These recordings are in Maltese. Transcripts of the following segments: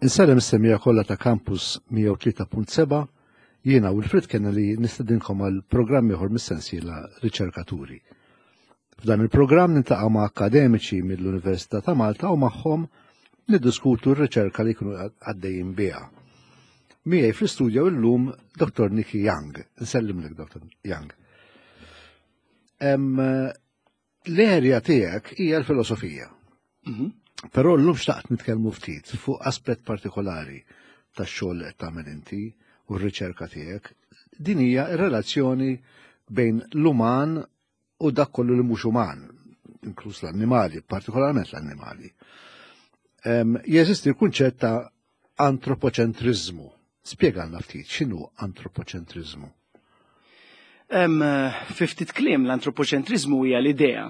Insellem is-semmiegħa kollha ta' Campus 103.7, jiena Wilfred Kennelly nistedinkom għal programm ieħor mis-sensiela Riċerkaturi. F'dan il-programm niltaqa' ma' akkademiċi mill-Università ta' Malta u magħhom niddiskutu r-riċerka li jkunu għaddejjin biha. Miegħi fl-istudjo illum Dr. Nikki Young. Nsellimlek Dr. Young. L-erja tiegħek hija l-filosofija. Mhm. Però llum xtaqt nitkellmu ftit fuq aspett partikolari tax-xogħol li qed tagħmel inti u r-riċerka tiegħek. Din hija r-relazzjoni bejn l-uman u dak kollu li mhux uman, inkluż l-annimali, partikolarment l-annimali. Jeżisti l-kunċett ta' antropoċentriżmu. Spjegalna ftit x'inhu antropoċentriżmu. Fi ftit kliem l-antropoċentriżmu hija l-idea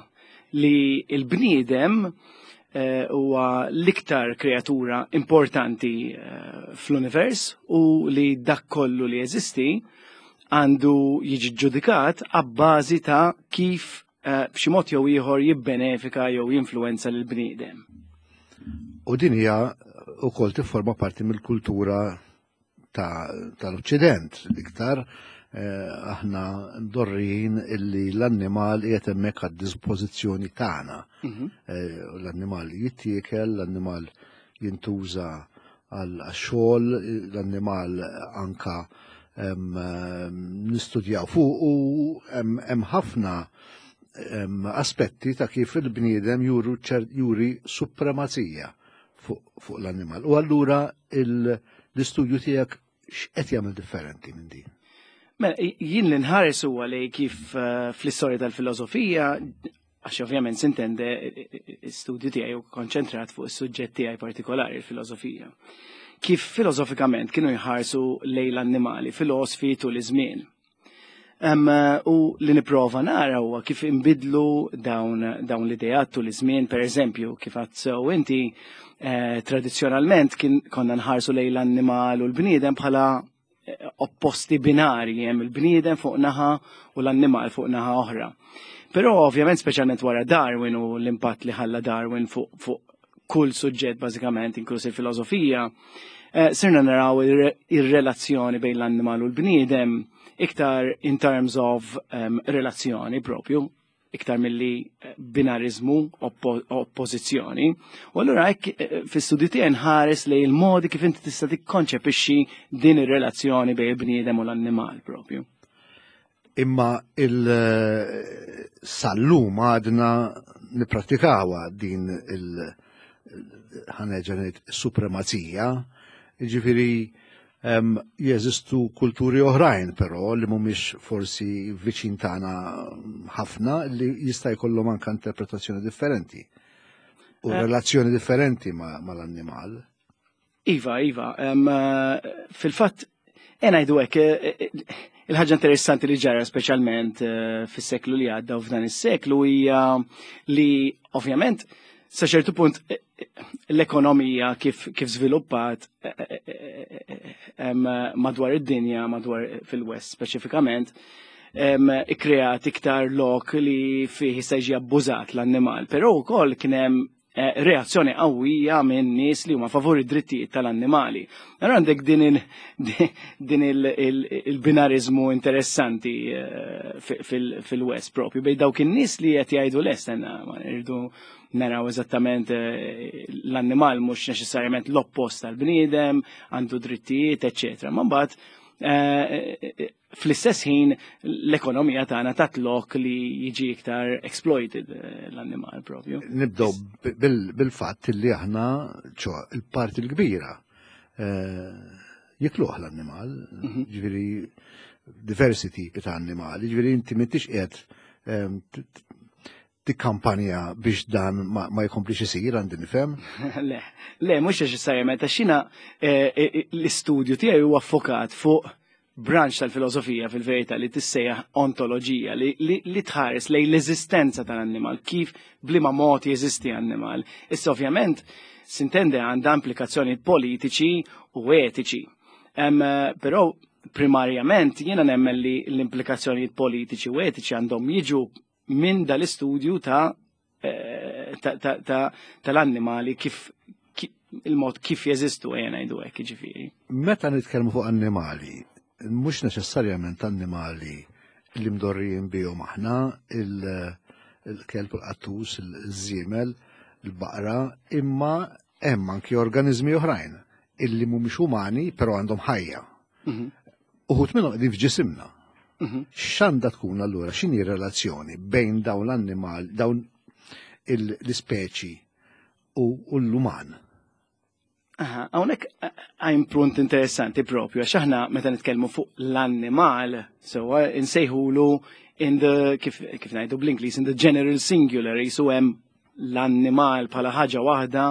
li l-bniedem eh, huwa l-iktar kreatura importanti eh, fl-univers u li dak kollu li jeżisti għandu jiġi ġudikat għabbażi ta' kif eh, b'xi mod jew ieħor jibbenefika jew jinfluwenza lil bniedem. U din hija wkoll tifforma parti mill-kultura tal-Occident iktar eh, aħna ndorrijin illi l-annimal qiegħed hemmhekk għad-dispożizzjoni tagħna. Mhm. Eh, l-annimal jittiekel, l-annimal jintuża għal xogħol, l-annimal anka nistudjaw fuq u hemm ħafna aspetti ta' kif il-bniedem juri supremazija fuq l-annimal. U allura l-istudju tiegħek x'qed jagħmel differenti minn din? Mela, jien li nħares huwa li kif eh, fl-istorja tal-filosofija għax ovvjament sintende studju tiegħi u konċentrat fuq is-suġġett tiegħi partikolari, il-filosofija. Kif filosofikament kienu jħarsu lejn l-annimali, filosfi tul iż-żmien. U li niprova nara huwa kif inbidlu dawn, dawn l-ideat tul iż-żmien, per eżempju, kif għad sew inti eh, tradizzjonalment kien konna nħarsu lejn l-annimal u l-bniedem bħala eh, opposti binari, hemm il-bniedem fuq naħa u l-annimal fuq naħa oħra. Però ovvjament speċjalment wara Darwin u l-impatt li ħalla Darwin fuq fu kull suġġett bażikament inkluż il-filosofija, eh, sirna naraw ir-relazzjoni bejn l-annimal u l-bniedem iktar in terms of um, relazzjoni propju, iktar milli eh, binarizmu, oppożizzjoni. U allura hekk eh, fis-studju tiegħi nħares lejn il-modi kif inti tista' tikkonċepixxi din ir-relazzjoni bejn il-bniedem u l-annimal propju. Imma il-sallum għadna nipratikawa din il- ħaneġa supremazija, ġifiri jeżistu kulturi oħrajn però li mhumiex forsi viċin tagħna ħafna li jista' jkollhom anke interpretazzjoni differenti u eh. relazzjoni differenti mal-annimal. Iva, iva. Eh, fil-fatt, ngħidu hekk, eh, eh, il-ħaġa interessanti li ġara speċjalment fis-seklu li għadda u f'dan is-seklu hija li ovvjament sa ċertu punt l-ekonomija kif kif żviluppat madwar id-dinja, madwar fil-West speċifikament, ikkreat iktar lok li fih jista' jiġi abbużat l-annimal. Però wkoll kien hemm Eh, reazzjoni qawwija minn nies li huma favur id-drittijiet tal-annimali. Allora għandek din il-binarizmu interessanti eh, fil-West propju bej dawk in-nies li qed jgħidu lest ma irridu naraw eżattament eh, l-annimal mhux neċessarjament l-oppost tal-bniedem, għandu drittijiet, eċċetera. Ma mbagħad fl-istess ħin l-ekonomija tagħna tat lok li jiġi iktar exploited eh, l-annimal propju. Nibdew bil-fatt li aħna ċo il-parti l-kbira eh, jikluh l-annimal, mhm. ġifieri diversi tipi ta' annimali, ġifieri inti m'intix qiegħed ehm, tikkampanja biex dan ma, ma jkomplix isir għandi nifhem? Le, le, mhux neċessarjament għax jiena eh, eh, l-istudju tiegħi huwa affokat fuq branch tal-filosofija fil-verità li tissejjaħ ontoloġija li, li, li tħares lejn l-eżistenza tal-annimal, kif bliema mod jeżisti annimal. Issa ovvjament sintende għandha implikazzjoni politiċi u etiċi. Um, però primarjament jiena nemmen li l-implikazzjonijiet politiċi u etiċi għandhom jiġu minn dal-istudju ta' eh, tal-annimali kif il-mod kif jeżistu ejja ngħidu hekk jiġifieri. Meta nitkellmu fuq annimali, mhux neċessarjament annimali li mdorrijin bihom aħna, il-kelb, il-qattus, il-żiemel, il-baqra, imma hemm anki organizmi oħrajn illi mhumiex umani però għandhom ħajja. Uħud minnhom qegħdin f'ġisimna. X'għandha tkun allura x'inhi r-relazzjoni bejn dawn l-annimal, dawn l-ispeċi u l-uman? Aha, hawnhekk għajm punt interessanti propju, għax aħna meta nitkellmu fuq l-annimal, sewwa insejħulu in the, kif, kif ngħidu bl-Ingliż, in the general singular, jisu hemm l-annimal bħala ħaġa waħda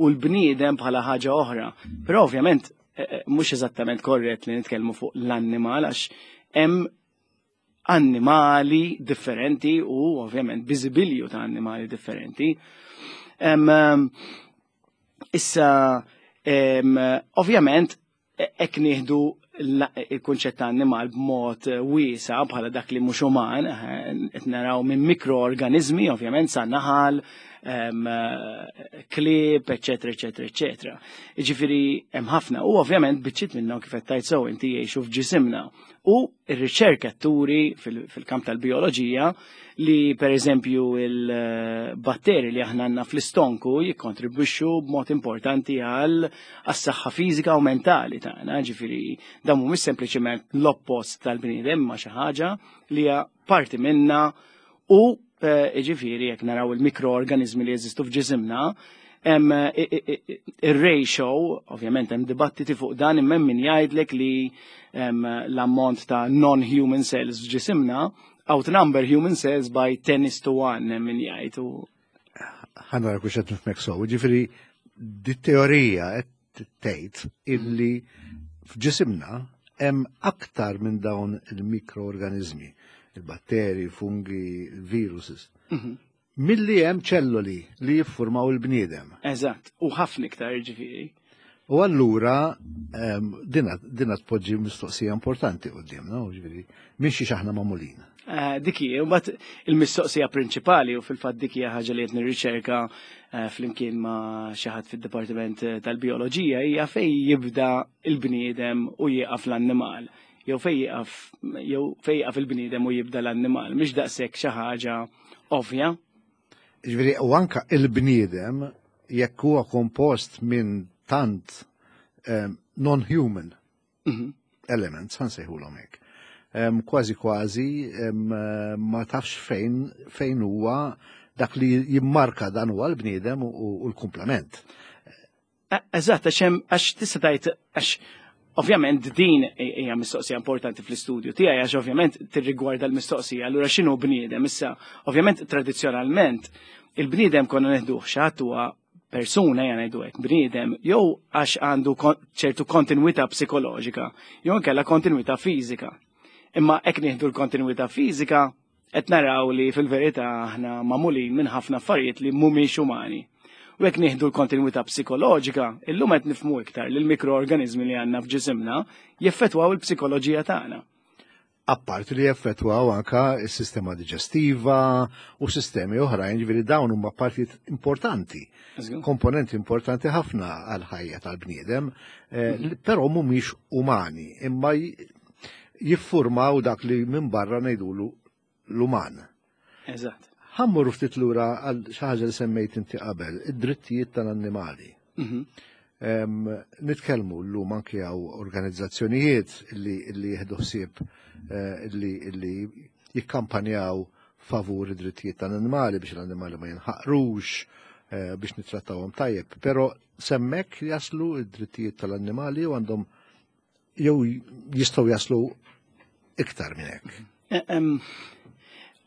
u l-bniedem bħala ħaġa oħra. Però ovvjament eh, eh, mhux eżattament korrett li nitkellmu fuq l-annimal għax hemm annimali differenti u ovvjament biżibilju ta' annimali differenti. Issa, ovvjament, hekk nieħdu il-kunċett ta' annimal b'mod wiesa bħala dak li mhux uman, eh, qed naraw minn mikroorganizmi, ovvjament sa naħal, klieb, eċetera, eċetera, eċetera. Jiġifieri hemm ħafna u ovvjament biċċiet minnhom kif qed tgħid sew inti jgħixu f'ġisimna. U r-riċerka turi fil-kamp tal-bioloġija li per eżempju il-batteri li aħna għandna fl-istonku jikkontribwixxu b'mod importanti għal għas-saħħa fiżika u mentali tagħna, ġifieri dan mhumiex sempliċement l-oppost tal-bniedem ma xi ħaġa li hija parti minna u eh, ġifieri jekk naraw il-mikroorganizmi li jeżistu f'ġisimna, hemm eh, ir-ratio, ovvjament hemm dibattiti fuq dan imma hemm min jgħidlek li l-ammont ta' non-human cells f'ġisimna outnumber human cells by 10 is to 1 hemm min jgħid. Ħa nara kux qed nifhmek sew, ġifieri di teorija qed tgħid illi f'ġisimna hemm aktar minn dawn il-mikroorganizmi, il-batteri, fungi, il-viruses. Milli hemm ċelloli li jiffurmaw il-bniedem. Eżatt, u ħafna iktar ġifieri. U allura dina, dina tpoġġi mistoqsija importanti qudiemna, ġifieri, minn xiex aħna magħmulin. Eh, dik hi, u mbagħad il-mistoqsija prinċipali u fil-fatt dik hija ħaġa li qed nirriċerka eh, flimkien ma' xi ħadd fid-Dipartiment eh, tal-Bioloġija hija fejn jibda il-bniedem u jieqaf l-annimal. Jew fejn jieqaf jew fejn jieqaf il-bniedem u jibda l-annimal, mhix daqshekk xi ħaġa ovvja. Ġifieri, u anka il-bniedem jekk huwa kompost minn tant non-human elements, ħa nsejħulhom hekk. Kważi kważi ma tafx fejn fejn huwa dak li jimmarka dan huwa l-bniedem u l-komplement. Eżatt, għax hemm għax tista' tgħid għax ovvjament din hija mistoqsija importanti fl-istudju tiegħi għax ovvjament tirrigwarda l-mistoqsija allura x'inhu bniedem issa ovvjament tradizzjonalment il-bniedem konna neħduh xi ħadd huwa persuna ejja ngħidu hekk bniedem jew għax għandu ċertu kontinwità psikoloġika jew inkella kontinwità fiżika. Imma hekk nieħdu l-kontinwità fiżika qed naraw li fil-verità aħna magħmulin minn ħafna affarijiet li mhumiex umani. U jekk nieħdu l-kontinwità psikoloġika, illum qed nifhmu iktar li l-mikroorganizmi li għandna f'ġisimna jeffettwaw il-psikoloġija tagħna. Apparti li jeffettwaw anka s-sistema diġestiva u sistemi oħrajn, ġifieri dawn huma partijiet importanti, komponenti importanti ħafna għal-ħajja tal-bniedem, eh, però mhumiex umani, imma jiffurmaw dak li minn barra ngħidulu l-uman. Eżatt. Ħa mmorru ftit lura għal xi ħaġa li semmejt inti qabel, id-drittijiet tal-annimali. Nitkellmu llum anki hawn organizzazzjonijiet li li jieħdu ħsieb eh, li li jikkampanjaw favur id-drittijiet tal-annimali biex l-annimali ma jinħaqrux, eh, biex nittrattawhom tajjeb, però s'hemmhekk jaslu id-drittijiet tal-annimali u għandhom jew jistgħu jaslu iktar minn hekk. Eh,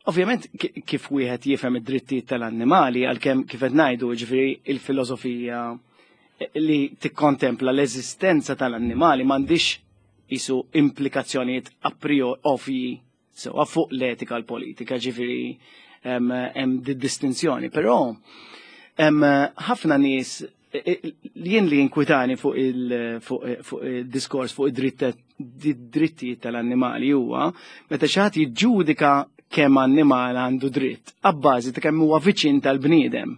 ovvjament kif wieħed jifhem id-drittijiet tal-annimali għalkemm kif qed ngħidu ġifieri il-filosofija li tikkontempla l-eżistenza tal-annimali m'għandix isu implikazzjonijiet a priori ovvji sewa fuq l-etika l-politika, ġifieri hemm di distinzjoni, però hemm ħafna nies jien li inkwitani fuq il-diskors fuq id-drittijiet tal-annimali huwa meta xi ħadd jiġġudika kemm annimal għandu dritt abbażi ta' kemm huwa viċin tal-bniedem.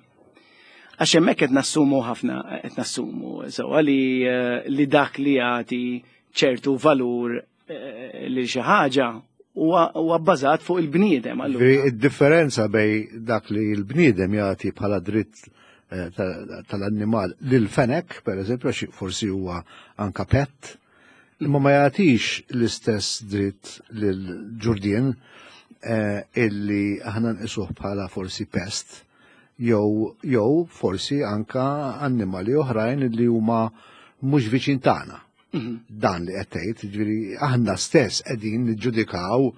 Għax hemmhekk qed nassumu ħafna qed nassumu sewwa li eh, li dak li jagħti ċertu valur eh, li xi ħaġa huwa bbażat fuq il-bniedem. Id-differenza bej dak li l-bniedem jagħti bħala dritt eh, tal-annimal lil fenek, per eżempju, forsi huwa anka pet, imma ma jagħtix l-istess dritt lil ġurdien illi aħna nqisuh bħala forsi pest jew jew forsi anka annimali oħrajn li huma mhux viċin tagħna. Mhm. Dan li qed tgħid, jiġifieri aħna stess qegħdin niġġudikaw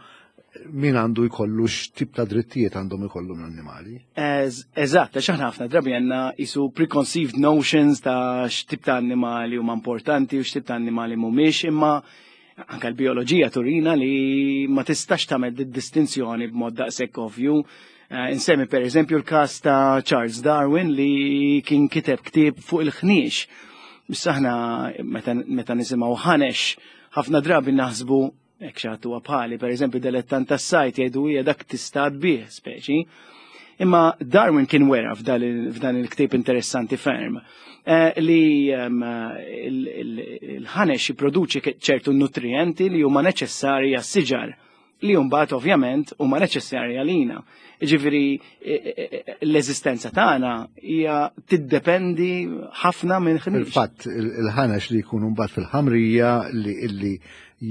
min għandu jkollu x'tip ta' drittijiet għandhom ikollu l-annimali. Eżatt, għax aħna ħafna drabi għandna isu preconceived notions ta' x'tip ta' annimali huma importanti u x'tip ta' annimali mhumiex, imma anka l-bioloġija turina li ma tistax tagħmel distinzjoni b'mod daqshekk ovvju. Eh, insemmi per eżempju l-każ ta' Charles Darwin li kien kiteb ktieb fuq il-ħniex. Issa aħna meta nisimgħu ħanex ħafna drabi naħsbu hekk xi ħadd huwa bħali, per eżempju delettant tas-sajt jgħidu hija dak tista' bih speċi. Imma Darwin kien wera f'dan il-ktieb interessanti ferm eh, li ehm, il-ħanex jipproduċi ċertu nutrienti li huma neċessarji għas-siġar li mbagħad ovvjament huma neċessarji għalina. Ġifieri e, e, e, l-eżistenza tagħna hija tiddependi ħafna minn ħniex. Il-fatt il-ħanex li jkunu mbagħad fil-ħamrija li illi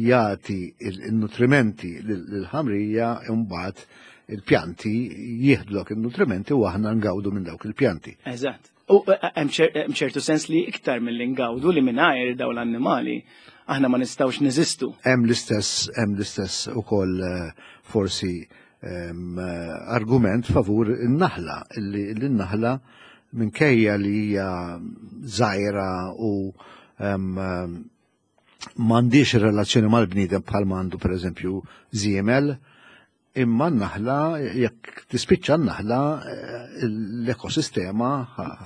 jagħti il-nutrimenti lill-ħamrija mbagħad il-pjanti jieħdlok il-nutrimenti u aħna ngawdu minn dawk il-pjanti. Eżatt. U eh, eh, hemm ċertu sens li iktar mill ngawdu li mingħajr dawn l-annimali aħna ma nistgħux neżistu. Hemm l-istess hemm l-istess ukoll eh, forsi argument favur in-naħla li n-naħla minkejja li hija żgħira u m'għandix relazzjoni mal-bniedem bħal m'għandu pereżempju żiemel, imma n-naħla jekk tispiċċa n-naħla eh, l-ekosistema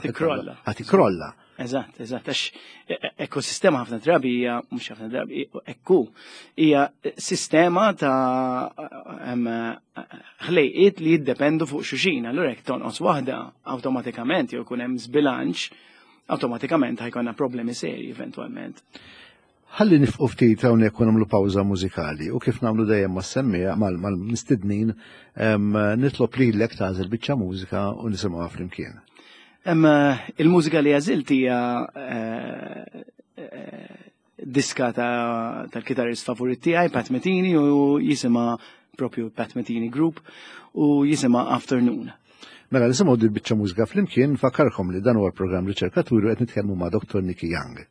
tikrolla. Tikrolla. Eżatt, eżatt, għax e, e, ekosistema ħafna drabi hija mhux ħafna drabi, ekku, hija sistema ta' ħlejqiet li jiddependu fuq xuxin, allura jekk tonqos waħda awtomatikament jew ikun hemm żbilanċ, awtomatikament ħajkonna problemi serji eventwalment. Ħalli nifqu ftit hawnhekk u nagħmlu pawża mużikali u kif nagħmlu dejjem mas-semmija mal-mistednin nitlob lilek tagħżel biċċa mużika u nisimgħuha flimkien. Il-mużika li għażilt hija eh, eh, diska tal-kitarrist favorit tiegħi Pat Metheny u jisimha propju Pat Metheny Group u jisimha Afternoon. Mela nisimgħu dil biċċa mużika flimkien fakkarkom li dan huwa l-programm Riċerkaturi qed nitkellmu ma' Dr. Nicky Young.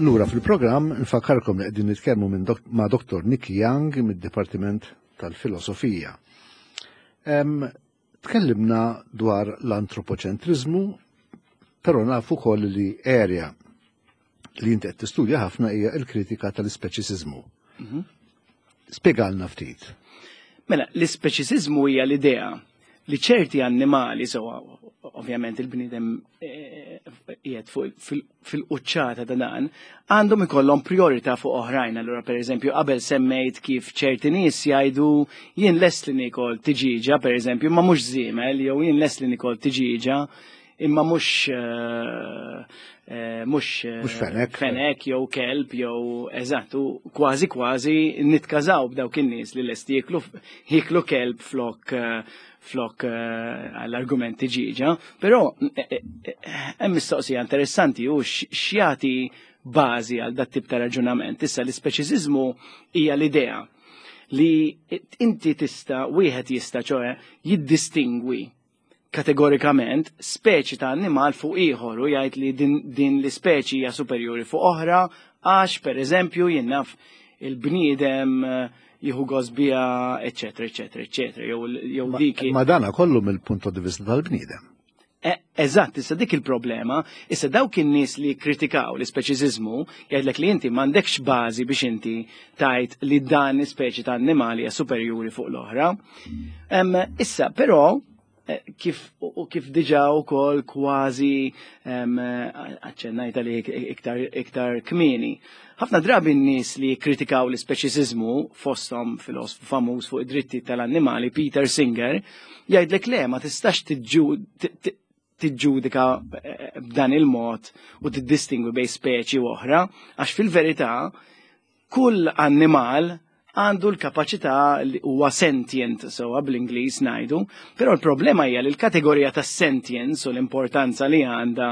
Lura fil-programm nfakkarkom li qegħdin nitkellmu minn ma' Dr. Nicky Young mid-Dipartiment tal-Filosofija. Tkellimna dwar l-antropoċentriżmu, però nafu wkoll li area li inti qed tistudja ħafna hija l-kritika tal-ispeċisiżmu. Spjegalna ftit. Mela, l-ispeċisiżmu hija l-idea li ċerti annimali, sewa ovvjament il-bniedem eh, qiegħed fil-quċċata ta' dan, għandhom ikollhom priorità fuq oħrajn. Allura pereżempju qabel semmejt kif ċerti nies jgħidu jien lest li nikol tiġiġa pereżempju, ma mhux żiemel, jew jien lest li nikol tiġiġa imma mhux eh, eh, mhux eh, fenek. Fenek jew kelb jew eżatt, u kważi kważi nitkażaw b'dawk in-nies li lesti jiklu jiklu kelb flok flok għall-argumenti ġiġa, però hemm mistoqsija interessanti u x'jagħti bażi għal dat tip ta' raġunament. Issa l-ispeċiżiżmu hija l-idea li inti tista' wieħed jista' ċoe jiddistingwi kategorikament speċi ta' annimal fuq ieħor u jgħid li din, din l-ispeċi hija superjuri fuq oħra għax pereżempju jien naf il-bniedem eh, jieħu gost biha, eċetera, eċetera, eċetera, jew jew dik. Ma dana kollu mill-punt di vista tal-bniedem. E, eżatt, issa dik il-problema, issa dawk in-nies li kritikaw l-ispeċiżiżmu jgħidlek li inti m'għandekx bażi biex inti tajt li dan ispeċi ta' annimali hija superjuri fuq l-oħra. Issa, però, eh, kif u kif diġa wkoll kważi aċċennajta li iktar, iktar kmieni. Ħafna drabi n-nies li kritikaw l-ispeċiżiżmu fosthom filosfu famuż fuq id-dritti tal-annimali Peter Singer jgħidlek le ma tistax tiġġudika eh, b'dan il-mod u tiddistingwi bejn speċi u oħra, għax fil-verità kull annimal għandu l-kapaċità li huwa sentient sewwa bl-Ingliż ngħidu, però l-problema hija li l-kategorija ta' sentience u l-importanza li għandha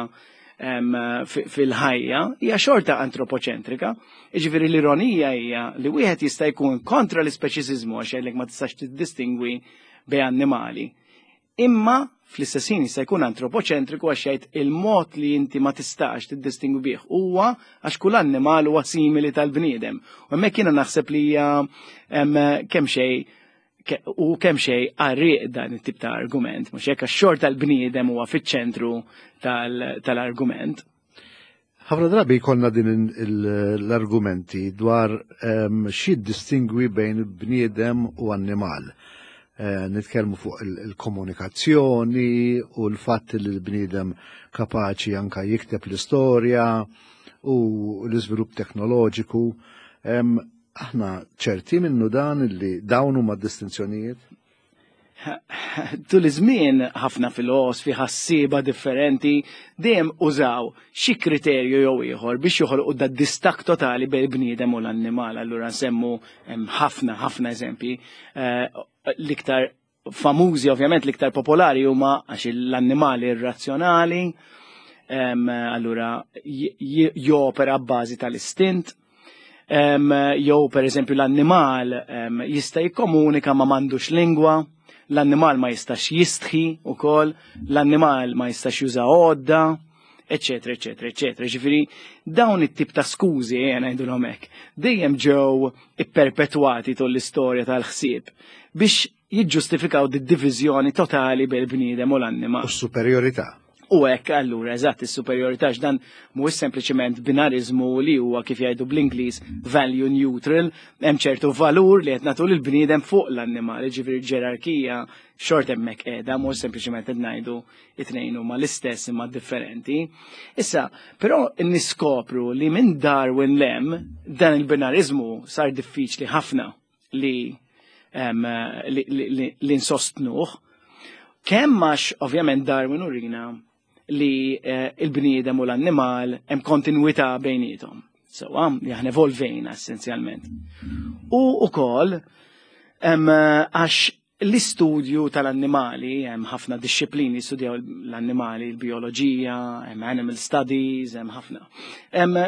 fil-ħajja hija xorta antropoċentrika. Jiġifieri l-ironija hija li wieħed jista' jkun kontra l-ispeċiżiżmu għax jgħidlek ma tistax tiddistingwi bejn annimali. Imma fl-istess ħin jista' jkun antropoċentriku għax jgħid il-mod li inti ma tistax tiddistingwi bih huwa għax kull annimal huwa simili tal-bniedem. U hemmhekk jiena naħseb li hija kemm xejn u kemm xejn qarrieq dan it-tip ta' argument, mhux hekk għax xorta l-bniedem huwa fiċ-ċentru tal-argument. Ħafna drabi jkollna din l-argumenti dwar ehm, xi distingwi bejn bniedem u annimal. Eh, nitkellmu fuq il-komunikazzjoni u l-fatt li l-bniedem kapaċi anka jikteb l-istorja u l-iżvilupp teknoloġiku. Ehm, aħna ċerti minnu dan li dawn huma distinzjonijiet? Tul iż-żmien ħafna filosfi, ħassieba differenti dejjem użaw xi kriterju jew ieħor biex joħolqu da distak totali bejn bniedem u l-annimal. Allura nsemmu hemm ħafna ħafna eżempji. Eh, l-iktar famużi ovvjament l-iktar popolari huma għax l-annimali irrazzjonali, allura jopera b'bażi tal-istint. Jew per eżempju l-annimal jista' jikkomunika ma m'għandux lingwa, l-annimal ma jistax jistħi ukoll, l-annimal ma jistax juża għodda, eccetera, eccetera, eccetera. Ġifieri dawn it-tip ta' skużi eh, ngħidulhom hekk, dejjem ġew ipperpetwati tul l-istorja tal-ħsieb biex jiġġustifikaw di diviżjoni totali bejn il-bniedem u l-annimal. U s-superjorità. U hekk allura eżatt is-superjorità x'dan mhuwiex sempliċement binariżmu li huwa kif jgħidu bl-Ingliż value neutral, hemm ċertu valur li qed nagħtu lill-bniedem fuq l-annimal, ġifieri ġerarkija xort hemmhekk qiegħda mhux sempliċement qed ngħidu it-tnejn huma l-istess imma differenti. Issa, però niskopru li minn Darwin lem dan il-binariżmu sar diffiċli ħafna li li, li, li nsostnuh. Kemm għax ovvjament Darwin urina li eh, il-bniedem u l-annimal hemm kontinwità bejnietom. Sewa, li aħna evolvejna essenzjalment. U ukoll għax l-istudju tal-annimali, hemm ħafna disċiplini studjaw l-annimali, l-bioloġija, hemm animal studies, hemm ħafna.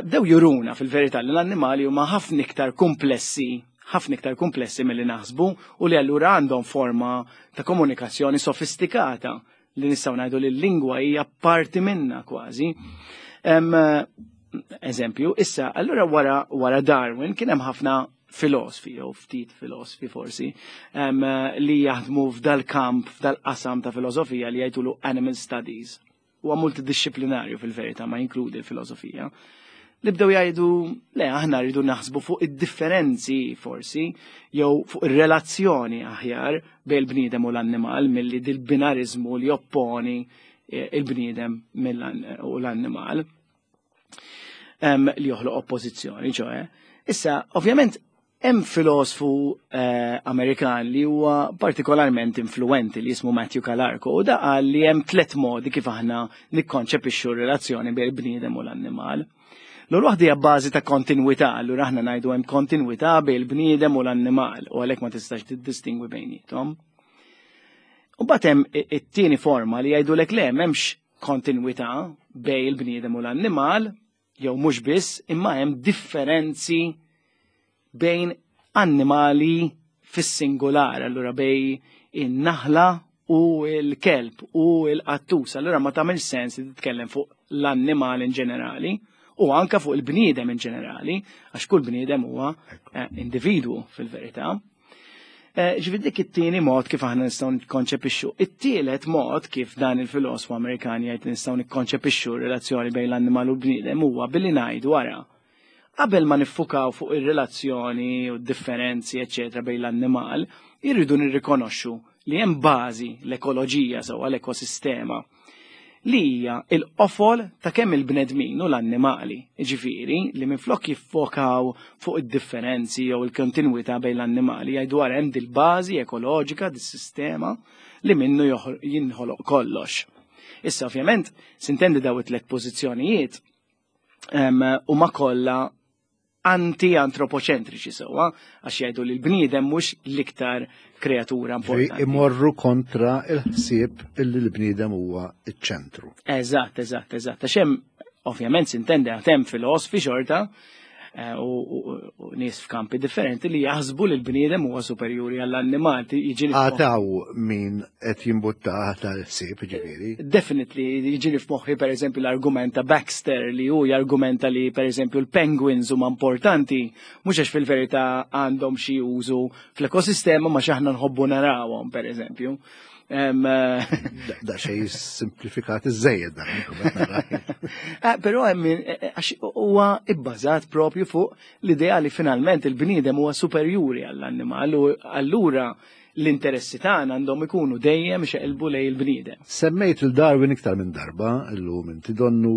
Bdew juruna fil-verità li l-annimali huma ħafna iktar komplessi ħafna iktar komplessi milli naħsbu u li allura għandhom forma ta' komunikazzjoni sofistikata li nistgħu ngħidu li l-lingwa hija parti minna kważi. eżempju. Issa, allura wara, wara Darwin kien hemm ħafna filosfi, jew ftit filosfi forsi, um, li jaħdmu f'dal-kamp, f'dal-qasam ta' filosofija li jgħidulu animal studies. Huwa multidixxiplinarju fil-verità ma jinkludi l-filosofija. Li bdew jgħidu, le, aħna rridu naħsbu fuq id-differenzi forsi, jew fuq ir-relazzjoni aħjar bejn il-bniedem u l-annimal milli dil-binarizmu li opponi eh, il-bniedem u l-annimal li joħloq oppożizzjoni, ċoħe. Issa, ovvjament, hemm filosfu eh, Amerikan li huwa partikolarment influenti li jismu Matthew Calarco u da qal li hemm tliet modi kif aħna nikkonċepixxu r-relazzjoni bejn il-bniedem u l-annimal. L-ewwel waħda hija bażi ta' kontinwità, allura aħna ngħidu hemm kontinwità bejn il-bniedem u l-annimal u għalhekk ma tistax tiddistingwi bejniethom. U mbagħad hemm it-tieni forma li jgħidulek le m'hemmx kontinwità bejn il-bniedem u l-annimal, jew mhux biss, imma hemm differenzi bejn annimali fis-singular, allura bej in-naħla u l-kelb u l-qattus. Allura ma tagħmel sens li titkellem fuq l-annimal in ġenerali u anka fuq il-bniedem in ġenerali, għax kull bniedem huwa eh, individwu fil-verità. Eh, ġifieri dik it-tieni mod kif aħna nistgħu nikkonċepixxu. It-tielet mod kif dan il-filosfu Amerikan jgħid nistgħu nikkonċepixxu r-relazzjoni bejn l-annimal u l-bniedem huwa billi ngħidu wara. Qabel ma niffukaw fuq ir-relazzjoni u d-differenzi eċċetera bejn l-annimal, irridu nirrikonoxxu li hemm bażi l-ekoloġija sewwa l-ekosistema li hija l-qofol ta' kemm il-bnedmin u l-annimali, jiġifieri li minflok jiffokaw fuq id-differenzi jew il-kontinwità bejn l-annimali jgħidu ara hemm dil-bażi ekoloġika, dis-sistema li minnu jinħoloq kollox. Issa ovvjament, sintendi daw it-tlet pożizzjonijiet huma kollha anti-antropoċentriċi sewwa, għax jgħidu li l-bniedem mhux l-iktar kreatura importanti. Imorru kontra il-ħsieb illi l-bniedem huwa iċ-ċentru. Eżatt, eżatt, eżatt. Għax hemm ovvjament sintendi għad hemm filosfi xorta eh, u nies f'kampi differenti li jaħsbu li l-bniedem huwa superjuri għall-annimal. Għataw min qed jimbutta tal-ħsieb ġifieri. Definitely, jiġini f'moħħi pereżempju l-argument ta' Baxter li hu jargumenta li pereżempju l-penguins huma importanti mhux għax fil-verità għandhom xi użu fl-ekosistema ma x'aħna nħobbu narawhom pereżempju. Da xej simplifikat iż-żejjed dan. Eh, però hemm eh, eh, għax huwa ibbażat propju fuq l-idea li finalment il-bniedem huwa superjuri għall-annimal u allura l-interessi tagħna għandhom ikunu dejjem xeqilbu lej il-bniedem. Semmejt il-Darwin iktar minn darba illum inti donnu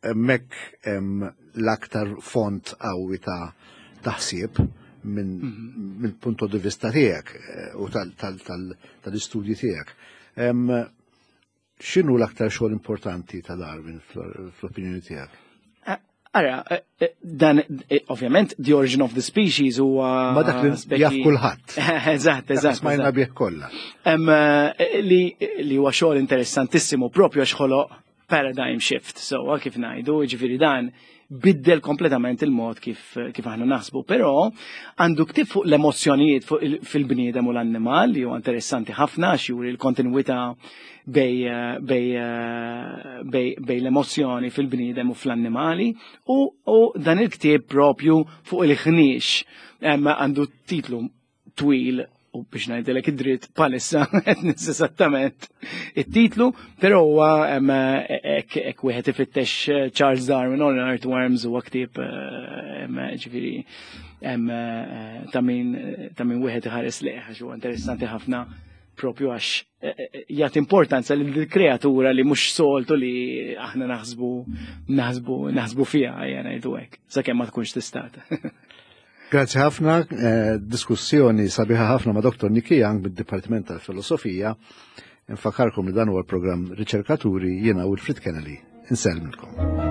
hemmhekk hemm l-aktar font qawwi ta' taħsieb minn mhm. min punto di vista tiegħek eh, u tal-istudji tiegħek. X'inhu l-aktar xogħol importanti ta' Darwin fl-opinjoni tiegħek? Eh, ara, eh, eh, dan ovvjament The Origin of the Species huwa Ma dak li jaf kulħadd. Eżatt, eżatt. Smajna bih kollha. Li li huwa xogħol interessantissimu propju għax ħoloq paradigm shift, sewwa kif ngħidu, jiġifieri dan biddel kompletament il-mod kif, kif aħna naħsbu, però għandu ktib fuq l-emozzjonijiet fuq fil-bniedem u l-annimal li huwa interessanti ħafna għax juri l-kontinwità bej, bej, bej, bej l-emozzjoni fil-bniedem u fl-annimali u, u dan il-ktieb propju fuq il-ħniex għandu titlu twil u biex ngħidilek id-dritt palissa qed nis esattament it-titlu, però huwa hekk wieħed ifittex eh, Charles Darwin on Earthworms huwa ktieb eh, ġifieri eh, ta' min ta' min wieħed iħares lejh għax huwa interessanti ħafna propju għax jagħti importanza lil kreatura li mhux soltu li aħna naħsbu naħsbu naħsbu fiha ejja ngħidu hekk sakemm ma tkunx tistata. Grazzi ħafna, eh, diskussjoni sabiħa ħafna ma' Dr. Niki Young mid-Dipartiment tal-Filosofija. Nfakarkom li dan huwa l-programm Riċerkaturi jiena Wilfrid Kennedy. Insellmilkom.